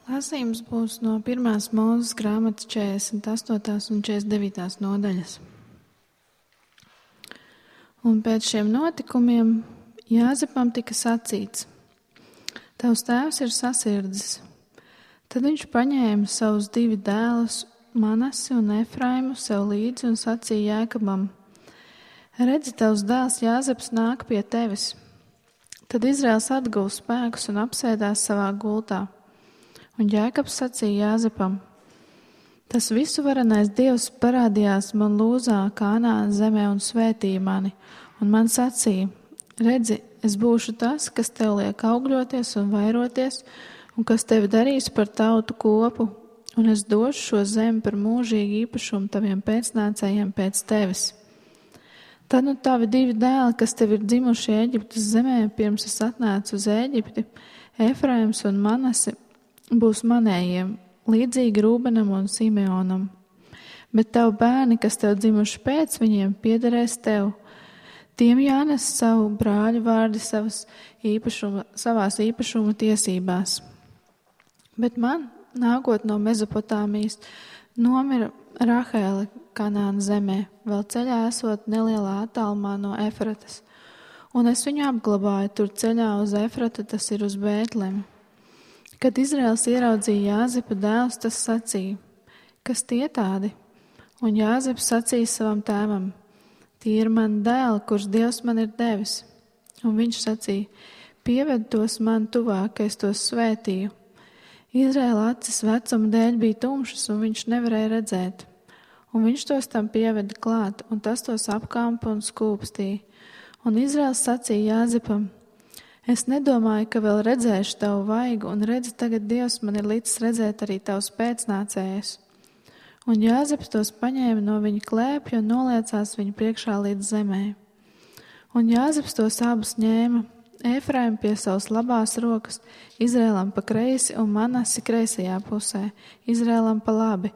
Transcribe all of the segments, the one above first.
Lasījums būs no 1. Mūzes grāmatas 48. un 49. nodaļas. Un pēc šiem notikumiem Jāzepam tika sacīts: Tavs tēvs ir sasirdzis. Tad viņš paņēma savus 2 dēlus, Manasi un Efraimu, sev līdzi un sacīja Jēkabam: Redzi, tavs dēls Jāzeps nāk pie tevis. Tad Izraels atguva spēkus un apsēdās savā gultā. Un Jēkabs sacīja Jāzepam: Tas visuvarenais Dievs parādījās man Lūzā, Kanānas zemē un svētīja mani, un man sacīja: Redzi, es būšu tas, kas tev liek augļoties un vairoties, un kas tevi darīs par tautu kopu, un es došu šo zemi par mūžīgu īpašumu taviem pēcnācējiem pēc tevis. Tad nu tavi 2 dēli, kas tev ir dzimuši Ēģiptes zemē, pirms es atnācu uz Ēģipti, Efraims un Manase, būs manējiem, līdzīgi Rūbenam un Simeonam. Bet tavu bērni, kas tev dzimuši pēc viņiem, piederēs tev. Tiem jānes savu brāļu vārdi savās īpašuma tiesībās. Bet man, nākot no Mezopotāmijas, nomira Rahēle Kanānas zemē, vēl ceļā esot nelielā attālumā no Efratas. Un es viņu apglabāju tur ceļā uz Efratu, tas ir uz Bētlemi. Kad Izraels ieraudzīja Jāzepa dēlus, tas sacīja: Kas tie tādi? Un Jāzeps sacīja savam tēvam: Tie ir mani dēli, kurus Dievs man ir devis. Un viņš sacīja: Pieved tos man tuvāk, ka es tos svētīju. Izraēla acis vecuma dēļ bija tumšas, un viņš nevarēja redzēt. Un viņš tos tam pieveda klāt, un tas tos apkampa un skūpstīja. Un Izraels sacīja Jāzepam: Es nedomāju, ka vēl redzēšu tavu vaigu, un redzi, tagad Dievs man ir licis redzēt arī tavus pēcnācējus. Un Jāzeps tos paņēma no viņa klēpja un noliecās viņu priekšā līdz zemē. Un Jāzeps tos abus ņēma, Efraimu pie savas labās rokas, Izrēlam pa kreisi un Manasi kreisajā pusē, Izrēlam pa labi,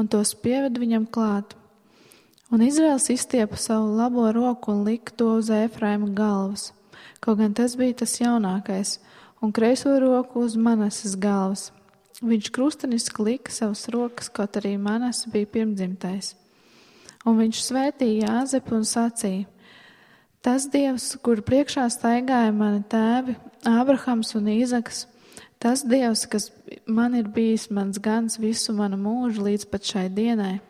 un tos pieved viņam klāt. Un Izrēls izstiepa savu labo roku un lika to uz Efraima galvas. Kaut gan tas bija tas jaunākais, un kreiso roku uz Manases galvas. Viņš krusteniski lika savas rokas, kaut arī Manase bija pirmdzimtais. Un viņš svētīja Jāzepu un sacīja: Tas Dievs, kur priekšā staigāja mani tēvi, Ābrahams un Īzaks, tas Dievs, kas man ir bijis mans gans visu manu mūžu līdz pat šai dienai,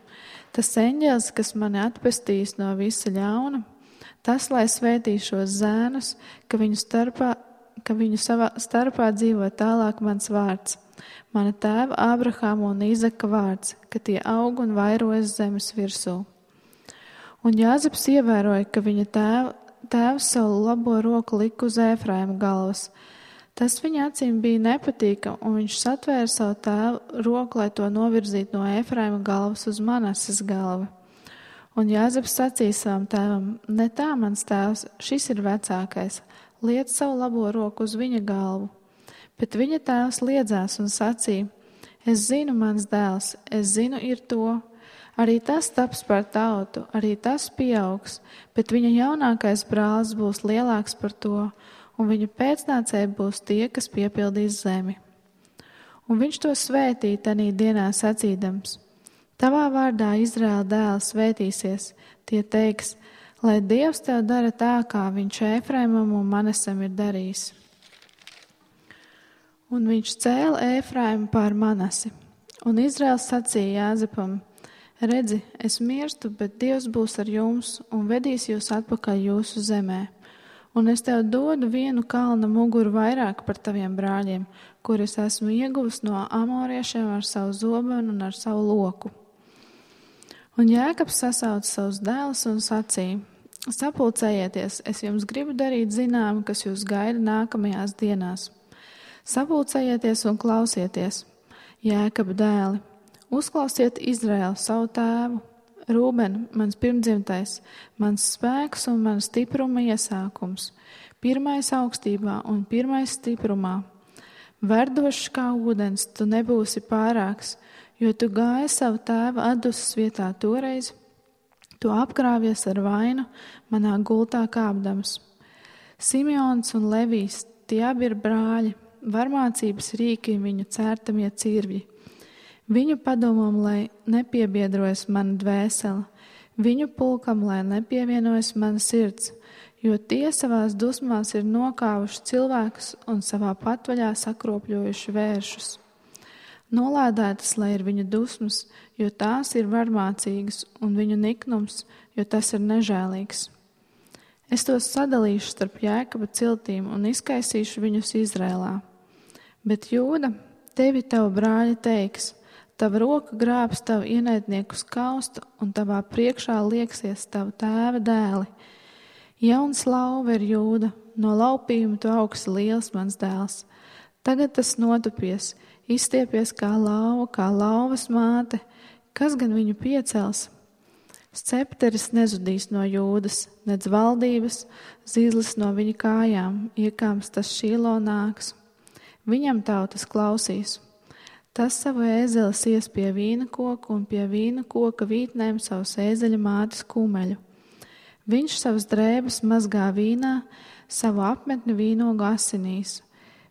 tas eņģelis, kas mani atpestīs no visa ļauna, tas, lai svētī šos zēnus, ka viņu savā starpā dzīvo tālāk mans vārds, mana tēva Ābrahama un Īzaka vārds, ka tie aug un vairojas zemes virsū. Un Jāzeps ievēroja, ka viņa tēvs savu labo roku lika uz Efraima galvas. Tas viņa acīm bija nepatīkam, un viņš satvēra savu tēvu roku, lai to novirzītu no Efraima galvas uz Manases galvu. Un Jāzeps sacīja savam tēvam: Ne tā, mans tēvs, šis ir vecākais, liec savu labo roku uz viņa galvu. Bet viņa tēvs liedzās un sacīja: Es zinu, mans dēls, es zinu ir to. Arī tas taps par tautu, arī tas pieaugs, bet viņa jaunākais brālis būs lielāks par to, un viņa pēcnācēji būs tie, kas piepildīs zemi. Un viņš to svētīja tanī dienā sacīdams: Tavā vārdā Izraēla dēls svētīsies, tie teiks, lai Dievs tev dara tā, kā viņš Efraimam un Manasam ir darījis. Un viņš cēla Efraimu pār Manasi. Un Izraēls sacīja Jāzepam: Redzi, es mirstu, bet Dievs būs ar jums un vedīs jūs atpakaļ jūsu zemē. Un es tev dodu vienu kalna muguru vairāk par taviem brāļiem, kurus esmu ieguvis no amoriešiem ar savu zobenu un ar savu loku. Un Jēkabs sasauca savus dēlus un sacīja: Sapulcējieties, es jums gribu darīt zinām, kas jūs gaida nākamajās dienās. Sapulcējieties un klausieties, Jēkaba dēli, uzklausiet Izraēlu savu tēvu, Rūben, mans pirmdzimtais, mans spēks un mans stipruma iesākums, pirmais augstībā un pirmais stiprumā. Verdošs kā ūdens, tu nebūsi pārāks, jo tu gāji savu tēva atdusas vietā toreiz, tu apkrāvies ar vainu, manā gultā kāpdams. Simeons un Levijs, tie abi ir brāļi, varmācības rīki viņu cērtamie cirvji. Viņu padomam, lai nepiebiedrojas mana dvēsele, viņu pulkam, lai nepievienojas mana sirds, jo tie savās dusmās ir nokāvuši cilvēkus un savā patvaļā sakropļojuši vēršus. Nolādētas, lai ir viņu dusmas, jo tās ir varmācīgas, un viņu niknums, jo tas ir nežēlīgs. Es tos sadalīšu starp Jēkaba ciltīm un izkaisīšu viņus Izrēlā. Bet Jūda, tevi tavu brāļi teiks, tava roka grābs tavu ienaidnieku skaustu, un tavā priekšā lieksies tavu tēva dēli. Jauns lauva ir Jūda, no laupījuma tu augsi liels mans dēls. Tagad tas notupies, izstiepies kā lauvas māte, kas gan viņu piecels? Scepteris nezudīs no Jūdas, nedz valdības, zīles no viņa kājām, iekāms tas Šīlo nāks. Viņam tautas klausīs. Tas savu ēzeli ies pie vīna koka un pie vīna koka vītnēm savus ēzeļa mātes kumeļu. Viņš savas drēbes mazgā vīnā, savu apmetni vīnogu asinīs.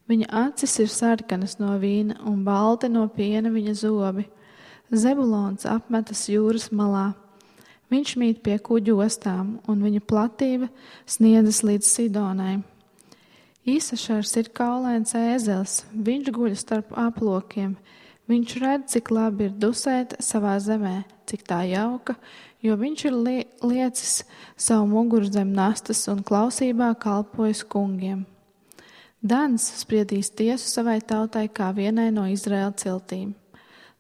Viņa acis ir sarkanas no vīna un balti no piena viņa zobi. Zebulons apmetas jūras malā. Viņš mīt pie kuģu ostām, un viņa platība sniedzas līdz Sidonai. Īsašars ir kaulains ēzelis, viņš guļ starp aplokiem. Viņš redz, cik labi ir dusēt savā zemē, cik tā jauka, jo viņš ir liecis savu muguru zem nastas un klausībā kalpojis kungiem. Dans spriedīs tiesu savai tautai kā vienai no Izraēla ciltīm.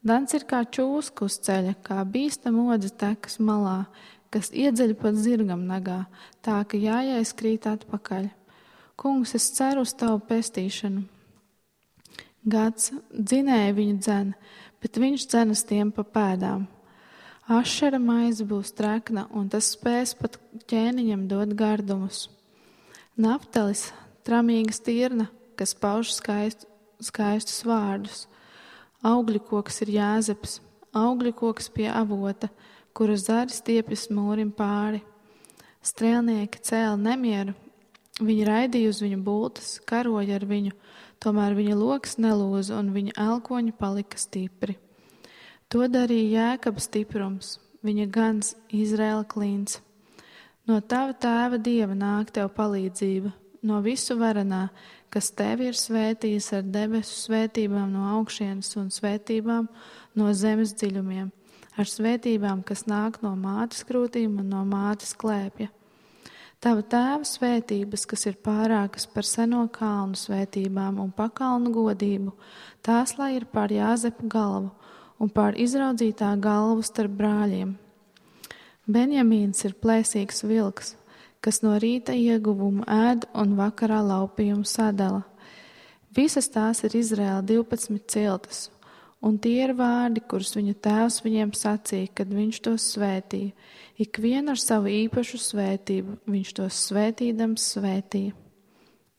Dans ir kā čūska uz ceļa, kā bīstama odze tekas malā, kas iedzeļ pat zirgam nagā, tā ka jājais krīt atpakaļ. Kungs, es ceru uz tavu pestīšanu. Gads dzinēja viņu dzen, bet viņš dzenas tiem pa pēdām. Ašera maize būs trekna, un tas spēs pat ķēniņam dot gardumus. Naftalis, tramīga stirna, kas pauž skaistus vārdus. Augļu koks ir Jāzeps, augļu koks pie avota, kura zari stiepjas mūrim pāri. Strēlnieki cēla nemieru, viņi raidīja uz viņu bultas, karoja ar viņu, tomēr viņa loks nelūza un viņa elkoņi palika stipri. To darīja Jēkaba stiprums, viņa gans Izraēla klīns. No tava tēva Dieva nāk tev palīdzība, no visu varenā, kas tevi ir svētījis ar debesu svētībām no augšienes un svētībām no zemes dziļumiem, ar svētībām, kas nāk no mātes krūtīm un no mātes klēpja. Tava tēva svētības, kas ir pārākas par seno kalnu svētībām un pakalnu godību, tās lai ir pār Jāzepa galvu un pār izraudzītā galvu starp brāļiem. Benjamīns ir plēsīgs vilks, kas no rīta ieguvumu ēd un vakarā laupījumu sadala. Visas tās ir Izraēla 12 ciltas, un tie ir vārdi, kurus viņa tēvs viņiem sacīja, kad viņš tos svētīja. Ikvienu ar savu īpašu svētību viņš tos svētīdams svētīja.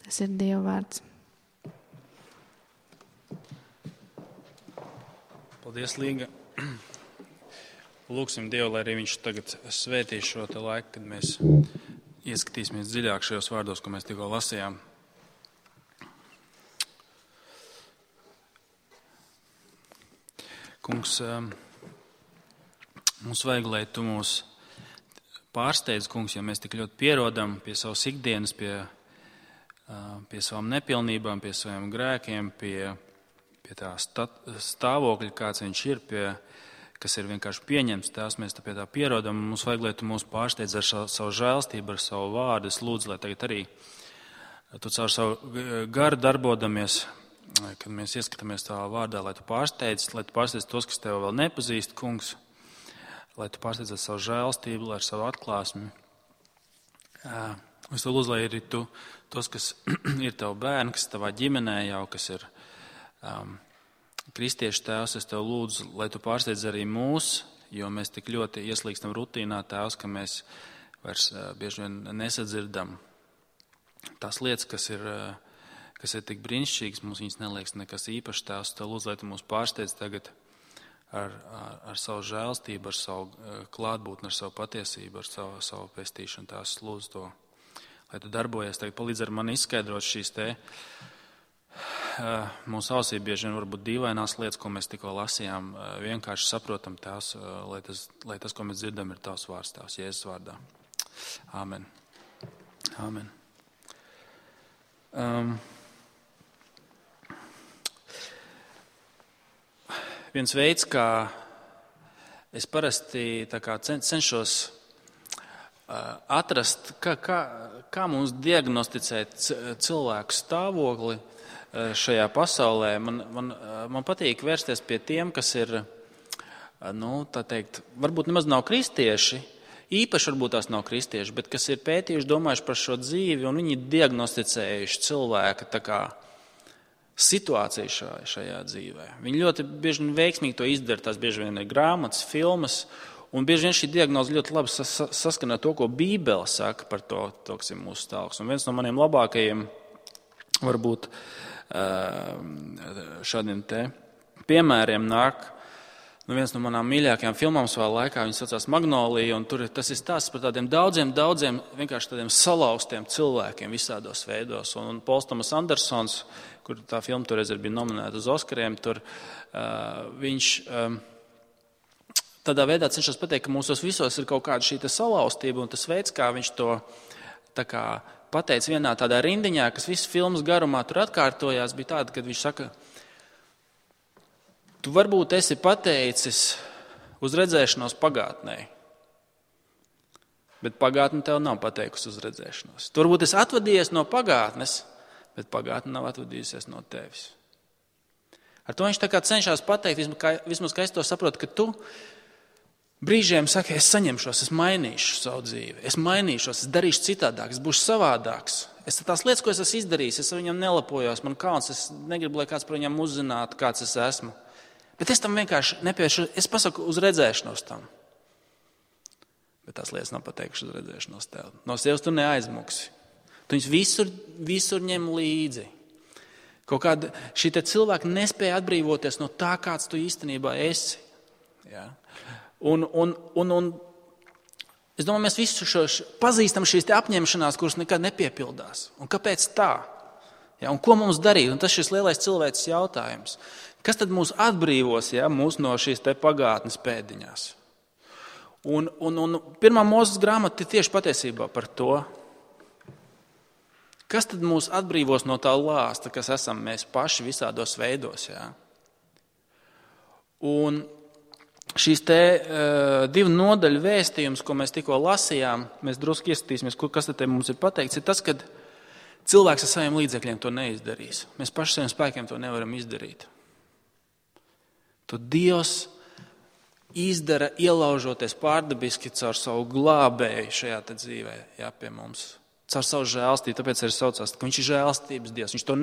Tas ir Dieva vārds. Paldies, Līga. Lūksim Dievu, lai arī viņš tagad svētīs šo te laiku, kad mēs ieskatīsimies dziļāk šajos vārdos, ko mēs tikko lasījām. Kungs, mums vajag, lai tu mūs pārsteidz, kungs, jo mēs tik ļoti pierodam pie savas ikdienas, pie savām nepilnībām, pie saviem grēkiem, pie tā stāvokļa, kāds viņš ir, kas ir vienkārši pieņemts, tās mēs pie tā pierodam. Mums vajag, lai tu mūs pārsteidz ar savu žēlstību, ar savu vārdu. Es lūdzu, lai tagad arī tu caur savu garu darbodamies, kad mēs ieskatāmies tavā vārdā, lai tu pārsteidz tos, kas tev vēl nepazīst, kungs, lai tu pārsteidz ar savu žēlstību, ar savu atklāsmi. Es tev lūdzu, lai arī tu, tos, kas ir tavu bērni, kas tavā ģimenē jau, kas ir kristiešu tēvs, es tev lūdzu, lai tu pārsteidz arī mūs, jo mēs tik ļoti ieslīgstam rutīnā, tēvs, ka mēs vairs bieži vien nesadzirdam tās lietas, kas ir tik brīnišķīgas, mums viņas neliekas nekas īpašs, tēvs. Tev lūdzu, lai tu mūs pārsteidz tagad ar savu žēlstību, ar savu klātbūtni, ar savu patiesību, ar savu pestīšanu. Tās lūdzu to, lai tu darbojies. Tagad palīdz ar mani izskaidrot šīs te mūsu ausī bieži vien varbūt dīvainās lietas, ko mēs tikko lasījām, vienkārši saprotam tās, lai tas, ko mēs dzirdam, ir tavs vārds, tavs Jēzus vārdā. Āmen. Āmen. Viens veids, kā es parasti cenšos atrast, kā mums diagnosticēt cilvēku stāvokli šajā pasaulē. Man patīk vērsties pie tiem, kas ir, varbūt nemaz nav kristieši, īpaši varbūt tās nav kristieši, bet kas ir pētījuši, domājuši par šo dzīvi, un viņi diagnosticējuši cilvēka situāciju šajā dzīvē. Viņi ļoti bieži vien veiksmīgi to izdara, tās bieži vien ir grāmatas, filmas, un bieži vien šī diagnoze ļoti labi saskana to, ko Bībele saka par to, kas ir mūsu stāvoklis. Un viens no maniem labākajiem, varbūt šādiem te piemēriem nāk, viens no manām mīļākajām filmām savā laikā, viņa saucās Magnolija, un tas ir stāsts par tādiem daudziem, vienkārši tādiem salauztiem cilvēkiem visādos veidos. Un Pols Tomas Andersons, kur tā filma toreiz bija nominēta uz Oskariem, tur viņš tādā veidā cenšas pateikt, ka mūsos visos ir kaut kāda šī salauztība, un tas veids, kā viņš to pateica vienā tādā rindiņā, kas visas filmas garumā tur atkārtojās, bija tāda, kad viņš saka, tu varbūt esi pateicis uz redzēšanos pagātnē, bet pagātne tev nav pateikusi uz redzēšanos. Tu varbūt esi atvadījies no pagātnes, bet pagātne nav atvadījusies no tevis. Ar to viņš cenšas pateikt, vismaz kā es to saprotu, ka tu brīžiem saki, es saņemšos, es mainīšu savu dzīvi, es mainīšos, es darīšu citādāk, es būšu savādāks. Es tās lietas, ko es esmu izdarījis, es ar viņam nelapojos, man kauns, es negribu, lai kāds par viņam uzzinātu, kāds es esmu. Bet es tam vienkārši nepievēršu, es pasaku uz redzēšanos tam. Bet tās lietas nav pateikušas uz redzēšanos tev. No sevis tu neaizmuksi. Tu viņus visur ņem līdzi. Kaut kāda šī cilvēka nespēja atbrīvoties no tā, kāds tu īstenībā esi. Ja? Un es domāju, mēs visi pazīstam šīs apņemšanās, kuras nekad nepiepildās. Un kāpēc tā? Ja? Un ko mums darīt? Un tas šis lielais cilvēks jautājums. Kas tad mūs atbrīvos, mūs no šīs pagātnes pēdiņās? Un pirmā Mūzes grāmata ir tieši patiesībā par to. Kas tad mūs atbrīvos no tā lāsta, kas esam mēs paši visādos veidos? Ja? Un šīs divu nodaļu vēstījums, ko mēs tikko lasījām, mēs drusku ieskatīsimies, kas tad mums ir pateikts, ir tas, ka cilvēks ar saviem līdzekļiem to neizdarīs. Mēs paši saviem spēkiem to nevaram izdarīt. To Dievs izdara, ielaužoties pārdabiski caur savu glābēju šajā dzīvē, pie mums. Caur savu žēlstību, tāpēc arī saucās, ka viņš ir žēlstības Dievs. Viņš to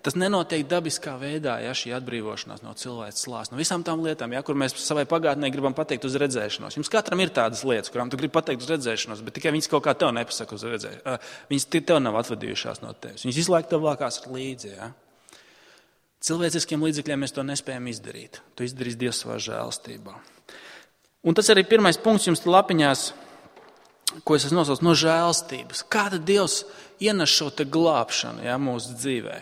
tas nenotiek dabiskā veidā, šī atbrīvošanās no cilvēces lāsta. No visām tām lietām, kur mēs savai pagātnē gribam pateikt uz redzēšanos. Jums katram ir tādas lietas, kurām tu gribi pateikt uz redzēšanos, bet tikai viņas kaut kā tev nepasaka uz redzēšanos. Viņas tev nav atvadījušās no tevis. Viņas visu laiku tev vākās līdzi. Ja? Cilvēciskiem līdzekļiem mēs to nespējam izdarīt. To izdarīs Dievs savā žēlstībā. Un tas arī pirmais punkts jums lapiņās, ko es esmu nosaucis no žēlstības. Kā tad Dievs ienes šo glābšanu mūsu dzīvē?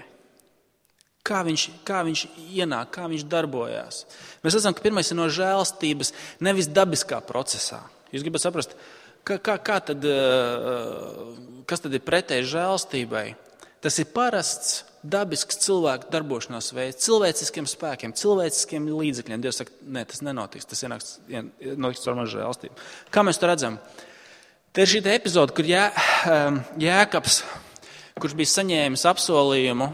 Kā viņš ienāk, kā viņš darbojās? Mēs redzam, ka pirmais ir no žēlstības, nevis dabiskā procesā. Jūs gribat saprast, kas tad ir pretēji žēlstībai? Tas ir parasts, dabisks cilvēku darbošanās veids, cilvēciskiem spēkiem, cilvēciskiem līdzekļiem. Dievs saka, ne, tas nenotiks, tas notiks ar manu žēlstību. Kā mēs to redzam? Te ir šī epizode, kur Jēkabs, kurš bija saņēmis apsolījumu,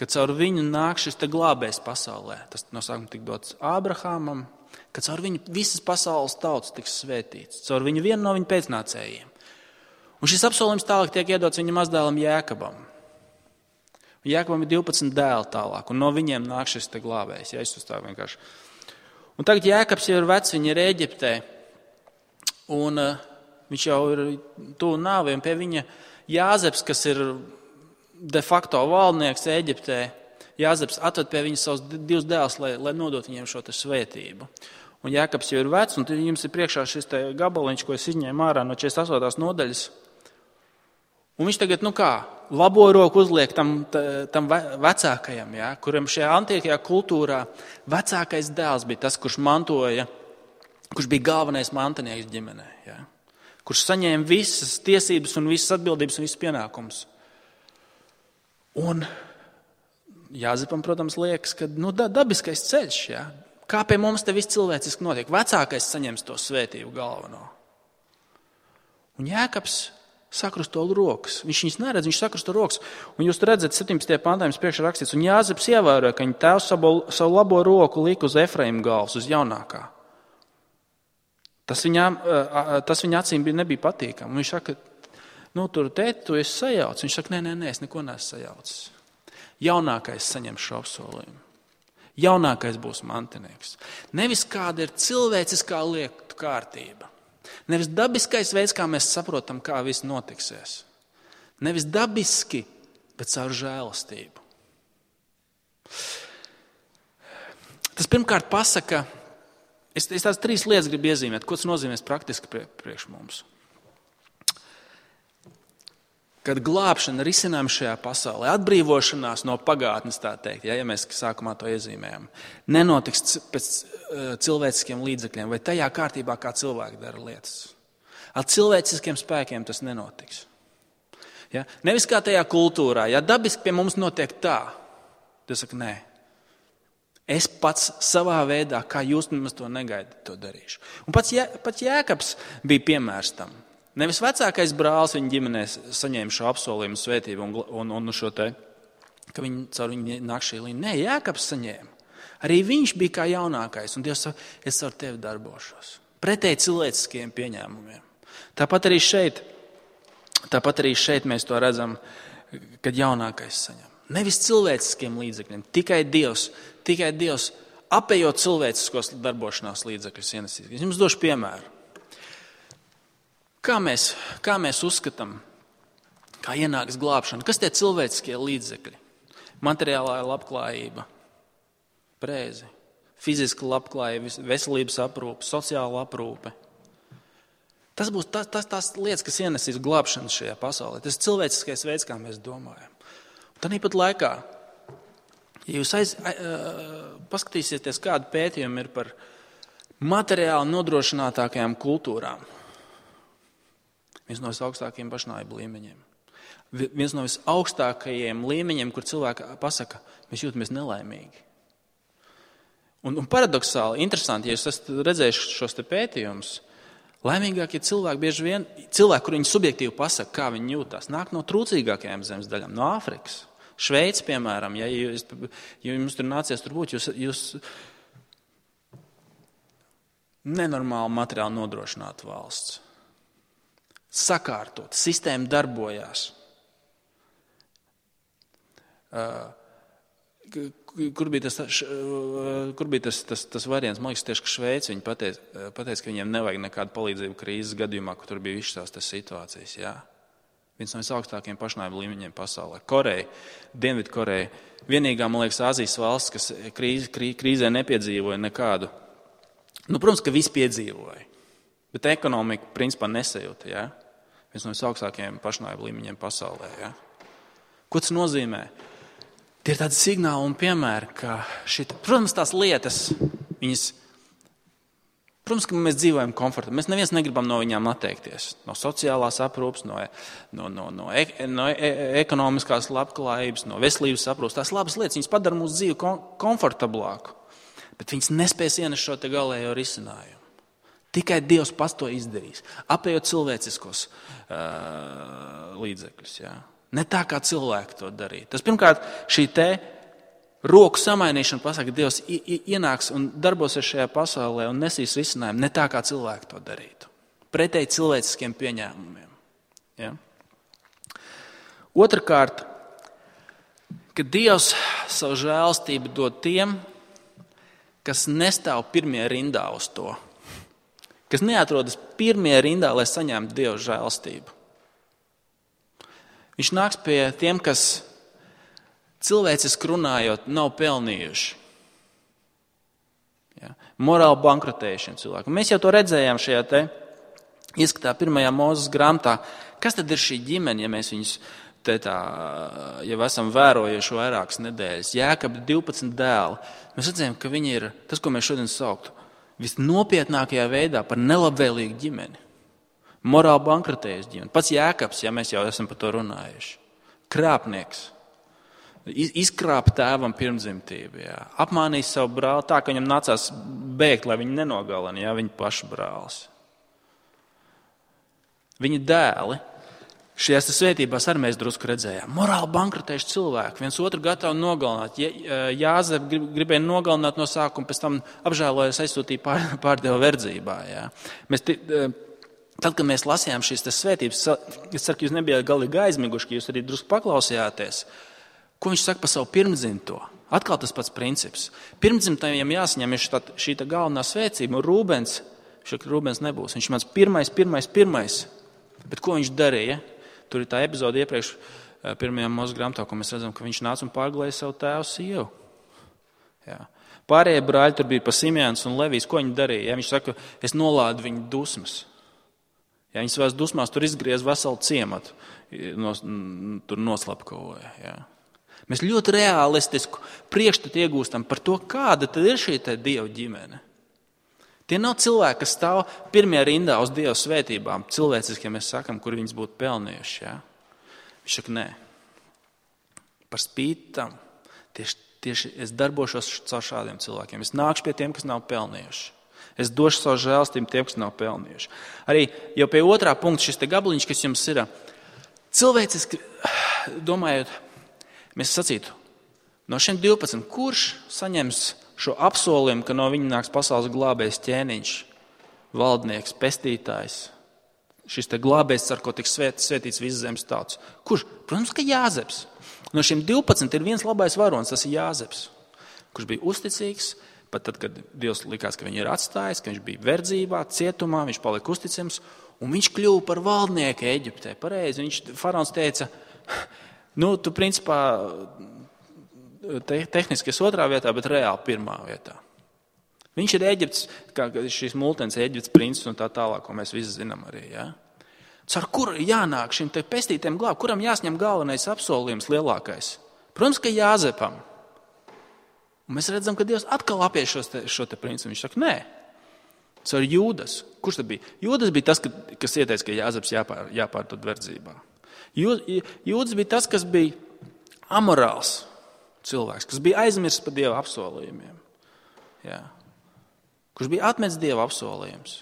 ka caur viņu nāk šis glābējs pasaulē. Tas no sākuma tika dots Ābrahamam, ka caur viņu visas pasaules tautas tiks svētīts, caur viņu vienu no viņa pēcnācējiem. Un šis apsolījums tālāk tiek iedots viņa mazdēlam Jēkabam. Jēkabam ir 12 dēli tālāk, un no viņiem nāk šis glābējs. Un tagad Jēkabs jau ir vecs, viņa ir Ēģiptē, un viņš jau ir tuvu nāvei, un pie viņa Jāzeps, kas ir de facto valdnieks Ēģiptē, Jāzeps atved pie viņa savus divus dēlus, lai nodot viņiem šo svētību. Un Jēkabs jau ir vecs, un jums ir priekšā šis gabaliņš, ko es izņēmu ārā no 48. nodaļas. Un viņš tagad, labo roku uzliek tam vecākajam, ja, kuram šajā antīkajā kultūrā vecākais dēls bija tas, kurš mantoja, kurš bija galvenais mantinieks ģimenē, ja, kurš saņēma visas tiesības un visas atbildības un visas pienākumus. Un Jāzepam, protams, liekas, ka dabiskais ceļš, ja, kā pie mums te viss cilvēciski notiek. Vecākais saņems to svētību galveno. Un Jēkabs sakrusto rokas. Viņš viņus neredz, viņš sakrusto rokas. Un jūs redzat, 17. pantā jums priekšā rakstīts, un Jāzeps ievēroja, ka viņa tēvs savu labo roku lika uz Efraima galvas, uz jaunākā. Tas viņa acīm nebija patīkami. Un viņš saka, tur tēti, tu esi sajaucis. Viņš saka, nē, es neko neesmu sajaucis. Jaunākais saņem šo apsolījumu. Jaunākais būs mantinieks. Nevis kāda ir cilvēciskā lietu kārtība. Nevis dabiskais veids, kā mēs saprotam, kā viss notiksies. Nevis dabiski, bet caur žēlastību. Tas pirmkārt pasaka, es tās 3 lietas gribu iezīmēt, ko tas nozīmēs praktiski priekš mums. Kad glābšana risinājuma šajā pasaulē, atbrīvošanās no pagātnes, tā teikt, ja mēs sākumā to iezīmējam, nenotiks pēc cilvēciskiem līdzekļiem vai tajā kārtībā, kā cilvēki dara lietas. Ar cilvēciskiem spēkiem tas nenotiks. Ja? Nevis kā tajā kultūrā, ja dabiski pie mums notiek tā, tas saka, nē. Es pats savā veidā, kā jūs nemaz to negaidat, to darīšu. Un pats Jēkabs bija piemērs tam. Nevis vecākais brālis viņa ģimenē saņēma šo apsolījumu svētību un šo te, ka viņi caur viņu nāk šī līnija. Nē, Jēkabs saņēma. Arī viņš bija kā jaunākais, un Dievs saka, es ar tevi darbošos. Pretēji cilvēciskiem pieņēmumiem. Tāpat arī šeit mēs to redzam, kad jaunākais saņem. Nevis cilvēciskiem līdzekļiem, tikai Dievs apējot cilvēciskos darbošanās līdzekļus ienesīs. Es jums došu piemēru. Kā mēs uzskatām, kā ienāks glābšana? Kas tie cilvēciskie līdzekļi? Materiālā labklājība, prēzi, fiziska labklājība, veselības aprūpe, sociāla aprūpe. Tas būs tās lietas, kas ienesīs glābšanu šajā pasaulē. Tas ir cilvēciskais veids, kā mēs domājam. Tāpat laikā, ja jūs paskatīsieties, kādu pētījumu ir par materiāli nodrošinātākajām kultūrām, viens no visaugstākajiem pašnāvību līmeņiem. Viens no visaugstākajiem līmeņiem, kur cilvēki pasaka, mēs jūtamies nelaimīgi. Un paradoxāli, interesanti, ja jūs esat redzējuši šos te pētījumus, laimīgākie cilvēki bieži vien, kur viņi subjektīvi pasaka, kā viņi jūtās, nāk no trūcīgākajām zemes daļām, no Āfrikas. Šveice, piemēram, ja jums tur nācies tur būt, jūs nenormāli materiāli nodrošinātu valsts. Sakārtot, sistēma darbojās. Kur bija tas variants? Man liekas, tieši, ka Šveice viņi pateica, ka viņiem nevajag nekādu palīdzību krīzes gadījumā, kur tur bija visas tās situācijas. Jā. Viens no visaugstākajiem pašnāvību līmeņiem pasaulē. Koreja, Dienvidkoreja, vienīgā, man liekas, Āzijas valsts, kas krīzē nepiedzīvoja nekādu. Protams, ka visi piedzīvoja, bet ekonomika principā nesajūta. Jā. Viens no visaugstākajiem pašnāvību līmeņiem pasaulē. Ja? Ko tas nozīmē? Tie ir tādi signāli un piemēri, ka protams, tās lietas, protams, ka mēs dzīvojam komfortabli. Mēs neviens negribam no viņām atteikties. No sociālās aprūpes, no ekonomiskās labklājības, no veselības aprūpes. Tās labas lietas, viņas padara mūsu dzīvi komfortablāku. Bet viņas nespēs ienest šo te galējo risinājumu. Tikai Dievs pats to izdarīs, apējot cilvēciskos līdzekļus. Jā. Ne tā, kā cilvēki to darīja. Tas pirmkārt, šī te roku samainīšana pasaka, ka Dievs ienāks un darbosies šajā pasaulē un nesīs risinājumu ne tā, kā cilvēki to darītu. Pretēji cilvēciskiem pieņēmumiem. Ja? Otrakārt, ka Dievs savu žēlstību dod tiem, kas nestāv pirmie rindā uz to. Kas neatrodas pirmie rindā, lai saņemtu Dieva žēlstību. Viņš nāks pie tiem, kas cilvēciski runājot nav pelnījuši. Ja? Morāli bankrotējušiem cilvēkiem. Mēs jau to redzējām šajā te ieskatā 1. Mūzes grāmatā, kas tad ir šī ģimene, ja mēs viņus jau esam vērojuši vairākas nedēļas? Jēkaba 12 dēli. Mēs redzējām, ka viņi ir tas, ko mēs šodien sauktu, visnopietnākajā veidā par nelabvēlīgu ģimeni. Morāli bankrotējusi ģimeni. Pats Jēkabs, ja mēs jau esam par to runājuši. Krāpnieks. Izkrāpa tēvam pirmdzimtību. Jā. Apmānījis savu brāli tā, ka viņam nācās bēgt, lai viņu nenogalina, jā, viņa paša brālis. Viņa dēli. Šajās svētībās arī mēs drusku redzējām. Morāli bankrotējuši cilvēki, viens otru gatavi nogalināt. Jāzep gribēja nogalināt no sākuma, pēc tam apžēlojas aizsūtīja pārdeva verdzībā. Jā. Tad, kad mēs lasījām šīs svētības, es ceru, ka jūs nebijāt galīgi aizmiguši, ka jūs arī drusku paklausījāties, ko viņš saka par savu pirmdzimto. Atkal tas pats princips. Pirmdzimtajiem jāsaņem šī galvenā svētība, un Rūbens nebūs. Viņš māc pirmais. Bet ko viņš darīja? Tur ir tā epizode iepriekš pirmajā Mūzes grāmatā, ko mēs redzam, ka viņš nāca un pārglēja savu tēvu sievu. Jā. Pārējie brāļi tur bija pa Simjāns un Levijs. Ko viņi darīja? Jā, viņš saka, es nolādu viņu dusmas. Jā, viņi savās dusmās tur izgriez veselu ciematu, tur noslapkavoja. Jā. Mēs ļoti realistisku priekšstatu iegūstam par to, kāda tad ir šī Dieva ģimene. Tie nav cilvēki, kas stāv pirmajā rindā uz Dieva svētībām, cilvēciski, ja mēs sakam, kur viņas būtu pelnījuši. Jā. Viņš saka, nē. Par spīti tam tieši es darbošos caur šādiem cilvēkiem. Es nākšu pie tiem, kas nav pelnījuši. Es došu savu žēlstību tiem, kas nav pelnījuši. Arī jau pie otrā punkta šis gabaliņš, kas jums ir cilvēciski, domājot, mēs sacītu, no šiem 12, kurš saņems šo apsolījumu, ka no viņa nāks pasaules glābējs ķēniņš, valdnieks, pestītājs, šis glābējs, ar ko tiks svētīts visas zemes tautas. Kurš? Protams, ka Jāzeps. No šiem 12 ir viens labais varonis, tas ir Jāzeps, kurš bija uzticīgs, pat tad, kad Dievs likās, ka viņu ir atstājis, ka viņš bija verdzībā, cietumā, viņš palika uzticams, un viņš kļuva par valdnieku Eģiptē. Pareizi, faraons teica, tu principā tehniski es otrā vietā, bet reāli pirmā vietā. Viņš ir Eģipts, kā šīs multens Eģipts princis un tā tālāk, ko mēs visi zinām arī. Ja? Ar kuru jānāk šim pestītiem glābt, kuram jāsņem galvenais apsolījums lielākais? Protams, ka Jāzepam. Un mēs redzam, ka Dievs atkal apies šo principu. Viņš saka, nē. Tas ir Jūdas. Kurš tad bija? Jūdas bija tas, kas ieteica, ka Jāzeps jāpārdod verdzībā. Jūdas bija tas, kas bija amorāls cilvēks, kas bija aizmirsts par Dieva apsolījumiem. Jā. Kurš bija atmetis Dieva apsolījums.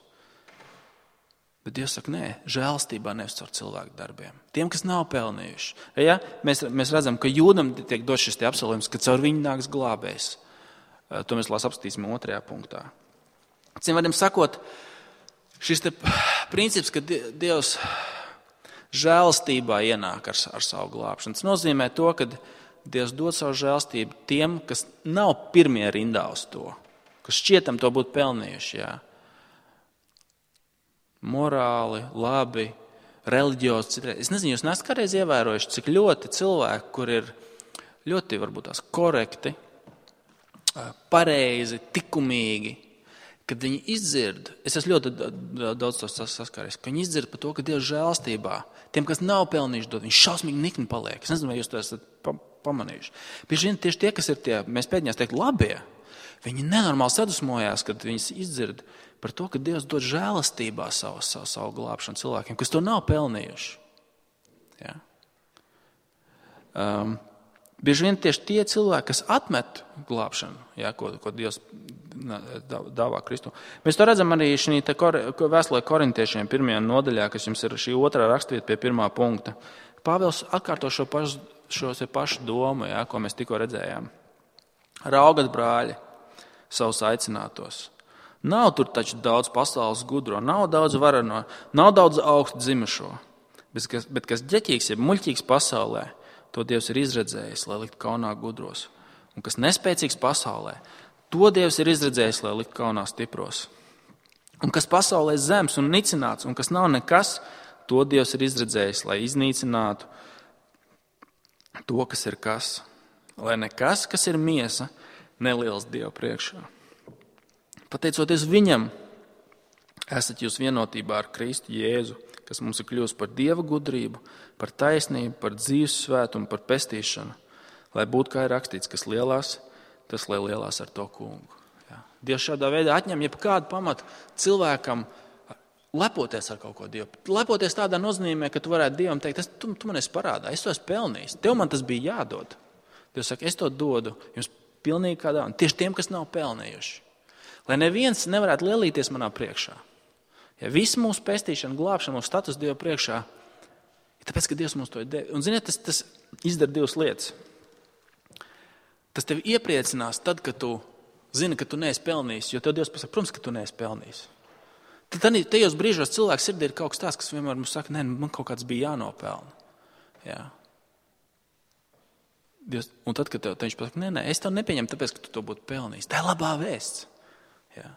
Bet Dievs saka, nē, žēlstībā nevis caur cilvēku darbiem. Tiem, kas nav pelnījuši. Ja? Mēs redzam, ka Jūdam tiek dots šis apsolījums, ka caur viņu nāks glābējs. To mēs apskatīsim 2. punktā. Cim sakot, šis princips, ka Dievs žēlstībā ienāk ar savu glābšanu. Tas nozīmē to, ka Dievs dod savu žēlstību tiem, kas nav pirmie rindā uz to, kas šķietam to būtu pelnījuši. Jā. Morāli, labi, reliģiozi. Es nezinu, jūs nesat kādreiz ievērojuši, cik ļoti cilvēki, kur ir ļoti varbūt tās korekti, pareizi, likumīgi, kad viņi izdzird, es esmu ļoti daudz to saskāries, ka viņi izdzird par to, ka Dievs žēlstībā tiem, kas nav pelnījuši dot, viņš šausmīgi nikni paliek. Es nezinu, vai jūs to esat pamanījuši. Bieži vien tieši tie, kas ir tie, mēs pēdējās teikt, labie, viņi nenormāli sadusmojās, kad viņas izdzird par to, ka Dievs dod žēlastībā savu glābšanu cilvēkiem, kas to nav pelnījuši. Ja? Bieži vien tieši tie cilvēki, kas atmet glābšanu, ja, ko Dievs dāvā Kristu. Mēs to redzam arī šī vēstulē korintiešiem 1. nodaļā, kas jums ir šī 2. rakstvieta pie 1. punkta. Pāvils atkārto šo pašu domu, ja, ko mēs tikko redzējām. Raugat, brāļi, savus aicinātos. Nav tur taču daudz pasaules gudro, nav daudz varano, nav daudz augstu dzimušo. Bet kas ģeķīgs, ja muļķīgs pasaulē, to Dievs ir izredzējis, lai likt kaunā gudros. Un kas nespēcīgs pasaulē, to Dievs ir izredzējis, lai likt kaunā stipros. Un kas pasaulē zems un nicināts, un kas nav nekas, to Dievs ir izredzējis, lai iznīcinātu to, kas ir kas. Lai nekas, kas ir miesa, neliels Dieva priekšā. Pateicoties viņam, esat jūs vienotībā ar Kristu Jēzu, kas mums ir kļuvusi par Dieva gudrību, par taisnību, par dzīves svētumu, par pestīšanu, lai būtu, kā ir rakstīts, kas lielās, tas lai lielās ar to kungu. Ja. Dievs šādā veidā atņem jebkādu pamatu cilvēkam lepoties ar kaut ko Dievu. Lepoties tādā nozīmē, ka tu varētu Dievam teikt, tu man esi parādā, es to esmu pelnījis, tev man tas bija jādod. Dievs saka, es to dodu jums pilnīgi kādā, un tieši tiem, kas nav pelnījuši. Lai neviens nevarētu lielīties manā priekšā. Ja visu mūsu pestīšanu, glābšanu, mūsu status Dieva priekšā, ir tāpēc, ka Dievs mums to ir devis. Un ziniet, tas izdara divas lietas. Tas tevi iepriecinās tad, kad tu zini, ka tu neesi pelnījis, jo tev Dievs pasaka, protams, ka tu neesi pelnījis. Tad tajos brīžos cilvēks sirdī ir kaut kas tāds, kas vienmēr mums saka, man kaut kāds bija jānopelna. Jā. Dievs, un tad, kad viņš pasaka, nē, es tev nepieņemu, tāpēc, ka tu to būtu pelnījis. Tā ir labā vēsts. Jā.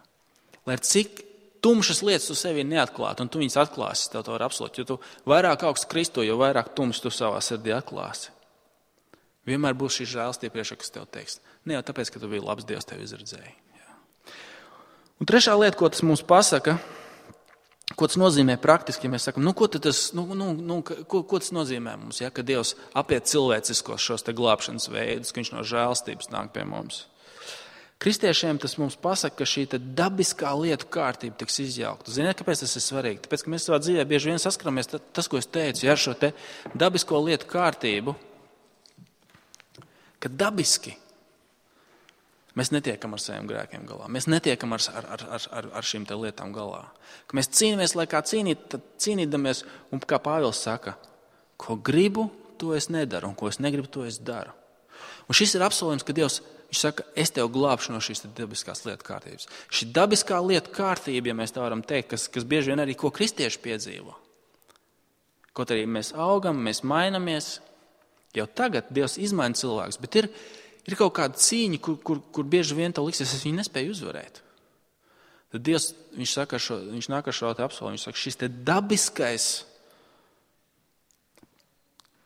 Lai cik tumšas lietas tu sevi neatklātu, un tu viņas atklāsi, tev to var apsolīt, jo tu vairāk augsts Kristo, jo vairāk tumšas tu savā sirdī atklāsi. Vienmēr būs šī žēlstība priekšā, kas tev teiks. Ne jau tāpēc, ka tu biji labs Dievs, tevi izredzēja. Jā. Un trešā lieta, ko tas mums pasaka, ko tas nozīmē praktiski, ja mēs sakam, ko tas nozīmē mums, ja, ka Dievs apiet cilvēciskos šos te glābšanas veidus, ka viņš no žēlstības nāk pie mums. Kristiešiem tas mums pasaka, ka šī dabiskā lietu kārtība tiks izjaukta. Ziniet, kāpēc tas ir svarīgi? Tāpēc, ka mēs savā dzīvē bieži vien saskaramies, tas, ko es teicu, ja, ar šo te dabisko lietu kārtību, ka dabiski mēs netiekam ar saviem grēkiem galā. Mēs netiekam ar šīm te lietām galā. Ka mēs cīnāmies, lai kā cīnīdamies, un kā Pāvils saka, ko gribu, to es nedaru, un ko es negribu, to es daru. Un šis ir apsolījums, ka Dievs, viņš saka, es tev glābšu no šīs dabiskās lietu kārtības. Šī dabiskā lietu kārtība, ja mēs tā varam teikt, kas bieži vien arī ko kristieši piedzīvo. Kaut arī mēs augam, mēs mainamies, jau tagad Dievs izmaina cilvēkus, bet ir kaut kāda cīņa, kur bieži vien tev liksies, es viņu nespēju uzvarēt. Tad Dievs, viņš nāk ar šo apsolījumu, viņš saka, šis te dabiskais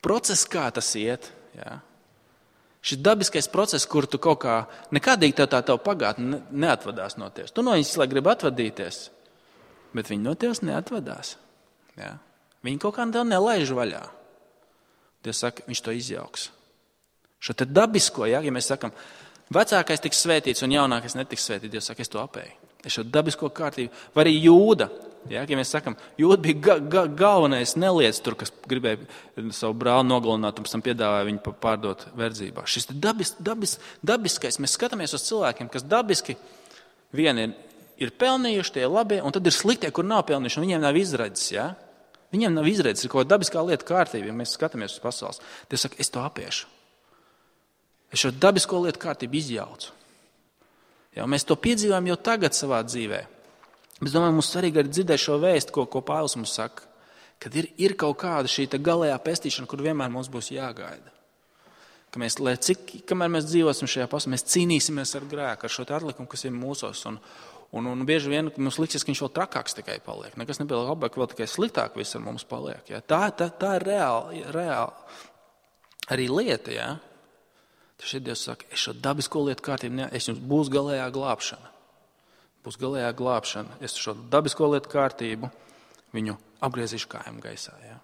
process, kā tas iet, jā. Šis dabiskais process, kur tu kaut kā, nekādīgi tev pagātne neatvadās no tevis. Tu no viņas, lai grib atvadīties, bet viņi no tevis neatvadās. Jā. Viņi kaut kā tev nelaiž vaļā. Dievs saka, viņš to izjauks. Šo te dabisko, ja mēs sakam, vecākais tiks svētīts un jaunākais netiks svētīts, Dievs saka, es to apēju. Es šo dabisko kārtību, vai arī Jūda, ja mēs sakam, Jūda bija galvenais neliec tur, kas gribēja savu brāli nogalināt un pēc tam piedāvāja viņu pārdot verdzībā. Šis dabiskais, mēs skatāmies uz cilvēkiem, kas dabiski vieni ir pelnījuši, tie labie, un tad ir sliktie, kur nav pelnījuši, un viņiem nav izredzes, ja? Viņiem nav izredzes, ir kaut kāda dabiskā lieta kārtība, ja mēs skatāmies uz pasaules. Dievs saka, es to apiešu. Es šo dabisko lietu kārtību izjaucu. Ja, mēs to piedzīvojam jau tagad savā dzīvē. Bet es domāju, mums svarīgi arī dzirdēt šo vēstu, ko Pāvils mums saka, kad ir kaut kāda šī galējā pestīšana, kur vienmēr mums būs jāgaida. Ka mēs, kamēr mēs dzīvosim šajā pasaulē, mēs cīnīsimies ar grēku, ar šo atlikumu, kas ir mūsos. Un bieži vien mums liksies, ka viņš vēl trakāks tikai paliek. Nekas nebija labāk, vēl tikai sliktāk viss ar mums paliek. Ja. Tā ir reāli arī lieta, ja. Šeit Dievs saka, es šo dabisko lietu kārtību, es jums būs galējā glābšana. Būs galējā glābšana. Es šo dabisko lietu kārtību viņu apgriezīšu kājām gaisā. Ja.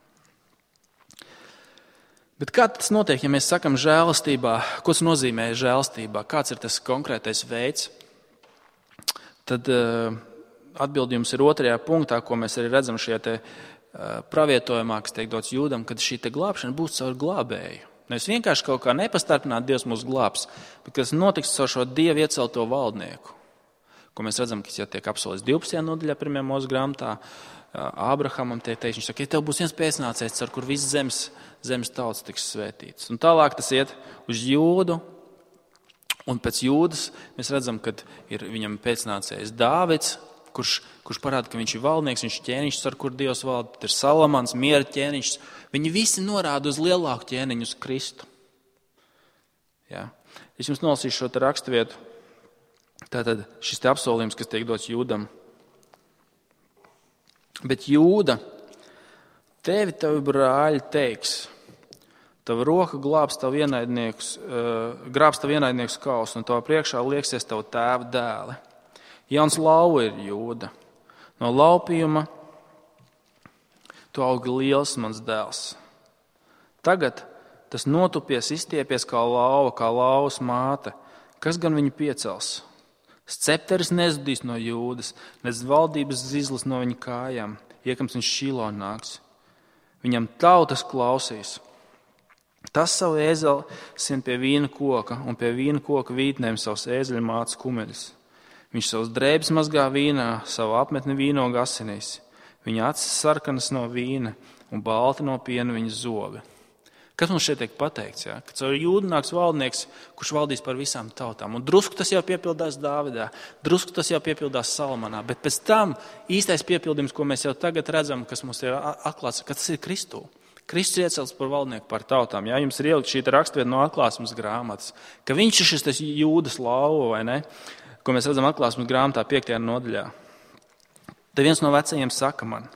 Bet kā tas notiek, ja mēs sakam žēlastībā? Ko tas nozīmē žēlastībā? Kāds ir tas konkrētais veids? Tad atbildi jums ir 2. punktā, ko mēs arī redzam šajā te pravietojumā, kas tiek dots Jūdam, kad šī te glābšana būs caur glābēju. Nevis vienkārši kaut kā nepastarpināt Dievs mūs glābs, bet kas notiks caur šo Dievu iecelto valdnieku, ko mēs redzam, kas jau tiek apsolīts 12. nodaļā 1. Mūzes grāmatā. Ābrahamam tiek teiks, viņš saka, ja tev būs viens pēcnācējs, ar kur viss zemes tauts tiks svētīts. Un tālāk tas iet uz Jūdu, un pēc Jūdas mēs redzam, ka ir viņam pēcnācējs Dāvids, kurš parāda, ka viņš ir valdnieks, viņš ir ķēniņš, ar kur Dievs valda, tad ir Salamans, miera ķēniņš. Viņi visi norāda uz lielāku ķēniņu, uz Kristu. Ja. Es jums nolasīšu šo te raksturvietu. Tātad šis te apsolījums, kas tiek dots Jūdam. Bet Jūda, tavi brāļi teiks, tava roka glābs tavu ienaidniekus kausu, un tavā priekšā lieksies tavu tēva dēli. Jauns lauva ir Jūda. No laupījuma Tu augi liels, mans dēls. Tagad tas notupies, izstiepies kā lauvas māte. Kas gan viņu piecels? Scepteris nezudīs no Jūdas, nec valdības zizlis no viņa kājām. Iekams viņš Šilo nāks. Viņam tautas klausīs. Tas savu ēzeli sien pie vīna koka, un pie vīna koka vītnēm savus ēzeļu māca kumeļus. Viņš savus drēbes mazgā vīnā, savu apmetni vīnogu asinīs. Viņa acis sarkanas no vīna, un balti no piena viņa zobi. Kas mums šeit tiek pateikts? Ja? Ka caur Jūdu nāks valdnieks, kurš valdīs par visām tautām. Un drusku tas jau piepildās Dāvidā, drusku tas jau piepildās Salmanā, bet pēc tam īstais piepildījums, ko mēs jau tagad redzam, kas mums ir atklāts, ka tas ir Kristū. Kristus iecelts par valdnieku par tautām. Ja? Jums ir ielikt šī rakstvieta no atklāsmes grāmatas, ka viņš ir šis Jūdas lauva, vai ne? Ko mēs redzam atklāsmes grāmatā 5. nodaļā. Te viens no vecajiem saka man,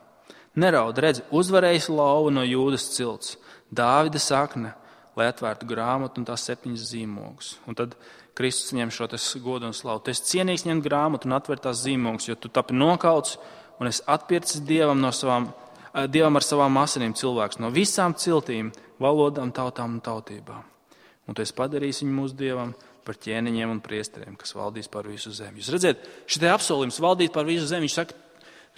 neraud, redzi, uzvarējis lauva no Jūdas cilts, Dāvida sakne, lai atvērtu grāmatu un tās 7 zīmogus. Un tad Kristus ņem šo godu un slavu. Tu esi cienīgs ņemt grāmatu un atvērt tās zīmogus, jo tu tapi nokauts un esi atpircis Dievam ar savām asinīm cilvēks no visām ciltīm, valodām, tautām un tautībām. Un tu esi padarījis viņu mūsu Dievam par ķēniņiem un priesteriem, kas valdīs par visu zemi. Jūs redzat, šitie apsolījums valdīt par visu zemi, viņš saka,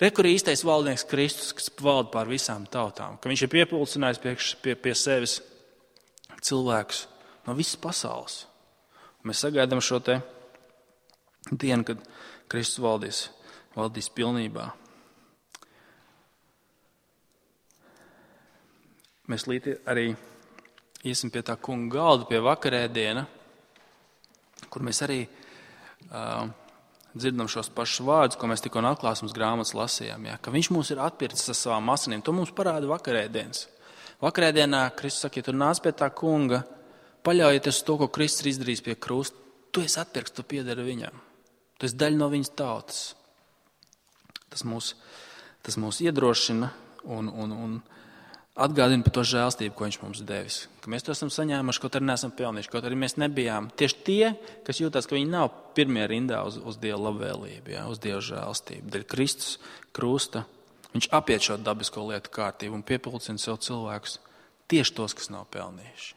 rekur īstais valdnieks Kristus, kas valda pār visām tautām, ka viņš ir piepulcinājis pie sevis cilvēkus no visas pasaules. Un mēs sagaidām šo te dienu, kad Kristus valdīs pilnībā. Mēs arī iesim pie tā kunga galda, pie vakarēdiena, kur mēs arī dzirdam šos pašus vārdus, ko mēs tikko no atklāsmes grāmatas lasījām, ja? Ka viņš mūs ir atpircis ar savām asinīm. To mums parāda vakarēdienas. Vakarēdienā Kristus saka, ja tu nāc pie tā kunga, paļaujieties uz to, ko Kristus ir izdarījis pie krusta, tu esi atpirkts, tu piedari viņam. Tu esi daļa no viņas tautas. Tas mūs iedrošina un atgādina par to žēlstību, ko viņš mums devis. Ka mēs to esam saņēmuši, kaut arī neesam pelnījuši, kaut arī mēs nebijām tieši tie, kas jūtās, ka viņi nav pirmie rindā uz Dieva labvēlību, ja, uz Dieva žēlstību. Dēļ Kristus krusta viņš apiet šo dabisko lietu kārtību un piepulcina sev cilvēkus tieši tos, kas nav pelnījuši.